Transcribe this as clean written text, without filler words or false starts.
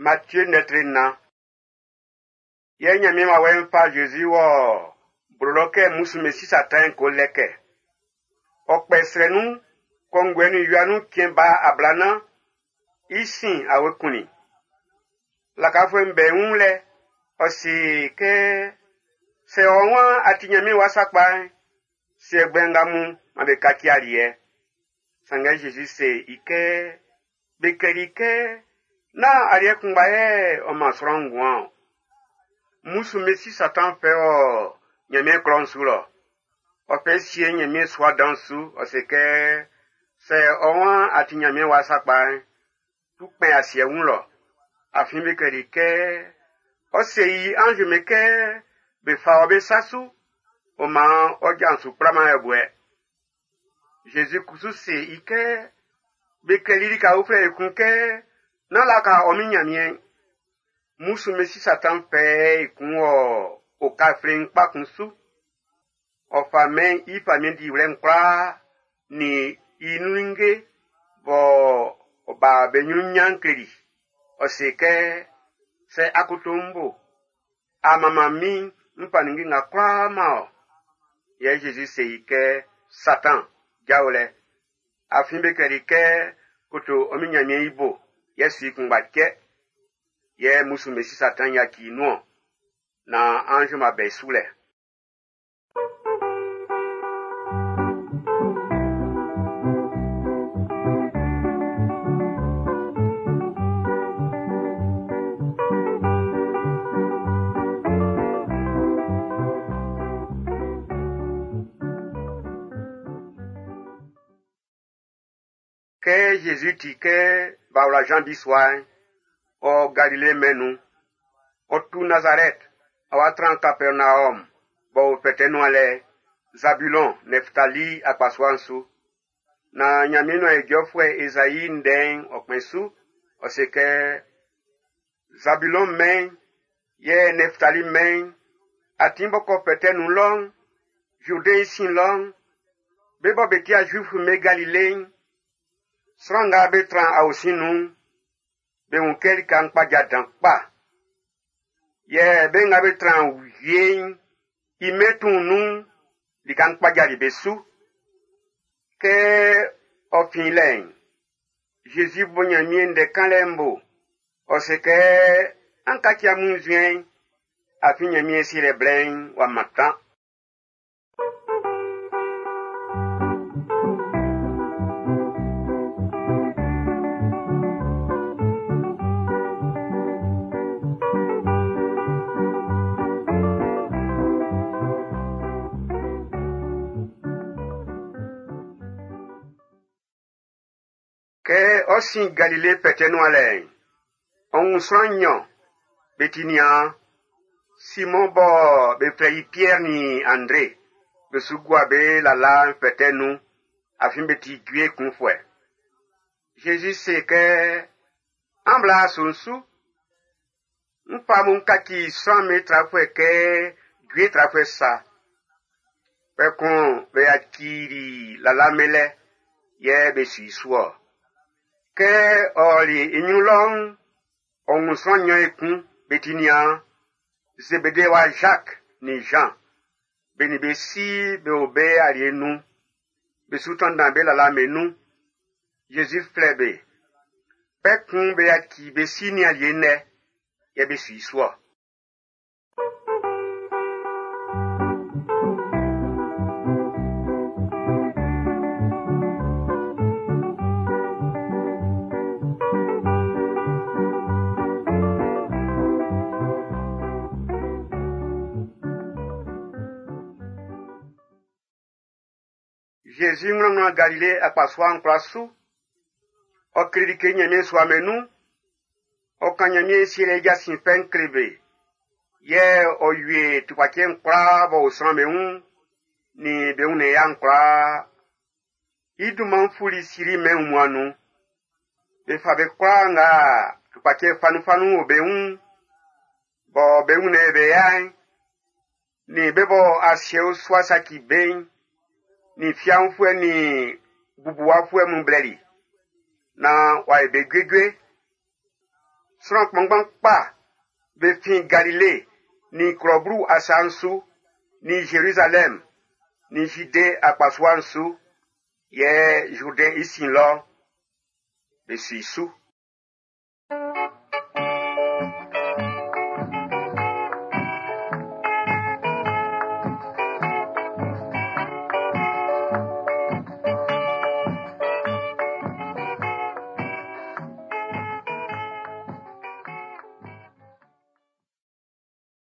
Matthieu ndɛtre 4. Yɛ Ɲanmiɛn wawɛ'n fa Zezi wɔ blo lɔ kɛ mmusu'm be si Satan ko lɛkɛ. Ɔ kpɛ srɛ nun kɔnguɛ nin wia nun cɛn ba ablanan, i sin awe kunnin. Lakafuɛ'm be wun lɛ, ɔ se kɛ sɛ ɔ waan a ti Ɲanmiɛn wa sakpa'n, se ɛgbɛ nga mun man be kaci aliɛ. Sanngɛ Zezi se i kɛ, be klɛli kɛ, nán aliɛ kunngba yɛ ɔ man sran nguan ɔn. Mmusu'm be si Satan fɛ wɔ Ɲanmiɛn klɔ'n su lɔ. Ɔ fɛ sie Ɲanmiɛn sua dan su, ɔ se kɛ, sɛ ɔ waan a ti Ɲanmiɛn wa sakpa'n, tu kpɛn asiɛ wun lɔ. Afin be klɛli kɛ, ɔ se i anz'm be kɛ be fa wɔ be sa su, ɔ maan ɔ ja'n su kplaman yɛbuɛ. Zezi kusu se i kɛ, be klɛli lika uflɛ ekun kɛ, nán laka ɔ min Ɲanmiɛn. Mmusu'm be si Satan fɛ ekun wɔ oka fleiin kpa kun su. Ɔ fa mɛn i famiɛn diwlɛ'n kwlaa nin i nun ninnge bɔ ɔ ba be ɲrun ɲan kleli. Ɔ se kɛ, sɛ akoto ń bo, a manman min n fa ninnge nga kwlaa man ɔ. Yɛ Zezi se i kɛ, Satan, jao lɛ. Afin be klɛli kɛ, koto ɔ min Ɲanmiɛn i bo, yɛ su i kunngba cɛ. Yɛ mmusu'm be si Satan yaci i nun-ɔn, na anz'm b'a bɛ i su lɛ. Kɛ Zezi ti kɛ b'a wla Jean bisua'n, ɔ Galile mɛn'n nun. Ɔ tu Nazarɛt, ɔ wa tran Kapɛrnaɔm, b'ɔ o fɛtɛ nuan lɛ, Zabulɔn, Nɛftali akpasua'n su. Na Ɲanmiɛn nuan ijɔfuɛ Ezai ndɛ'n ɔ kpɛn su, ɔ se kɛ, Zabulɔn mɛn'n, yɛ Nɛftali mɛn'n, atin b'ɔ kɔ fɛtɛ nun lɔ'n, Jourdain i sin lɔ'n, be bɔ be tia Zuif'm be Galile'n, sran nga be tran aosin nun'n, be wun kɛ lika'n kpaja dan kpa. Yɛ be nga be tran wie'n i mɛn tuun nun'n, lika'n kpajali be su. Kɛ ɔ fin lɛ'n, Zezi bo Ɲanmiɛn ndɛ kanlɛ'n bo. Ɔ se kɛ, an kaci amun nzuɛn'n, afin Ɲanmiɛn sielɛ blɛ'n w'a mantan. Kɛ ɔ sin Galile fɛtɛ nuan lɛ'n, ɔ wun sran nɲɔn be ti niaan. Simɔn bɔ be flɛ i Piɛr nin Andre be su gua be lala'n fɛtɛ nun, afin be ti jue kunfuɛ. Zezi se kɛ, an bla aso'n su. N fa mun kaci sran be trafuɛ kɛ jue trafuɛ sa. Kpɛkun be yacili lala melɛ, yɛ be su i su-ɔ. Kɛ ɔ ɔli i ɲrun lɔ'n, ɔ wun sran nɲɔn ekun be ti niaan. Zebede wa Jacques nin Jean, be nin be si be o be alie nun. Be su tanndan be lala'm nun. Zezi flɛ be. Kpɛkun be yaci be si nin alie'n lɛ, yɛ be su i su-ɔ. Zezi ŋlɔŋlɔ Galile akpasua'n kwlaa su. Ɔ kleli kɛ Ɲanmiɛn sua mɛn nun. Ɔ kan Ɲanmiɛn sielɛ jasin fɛ'n kle be. Yɛ ɔ wie tukpacɛ'n kwlaa b'ɔ o sran be wun, nin be wunnɛn ya'n kwlaa. I dunman'n fuli Siri mɛn wunmuan'n nun. Be fa be kwlaa nga tukpacɛ fanunfanun o be wun, bɔ be wunnɛn be ya'n, nin be bɔ asiɛ usua saci be'n, nin fiaunfuɛ nin bubuwafuɛ mun blɛli, na w'a ye be juejue. Sran kpanngban kpa be fin Galile nin Klɔ Blu asa'n su, nin Zerizalɛm, nin Zide akpasua'n su, yɛ Zurdɛn i sin lɔ, be su i su.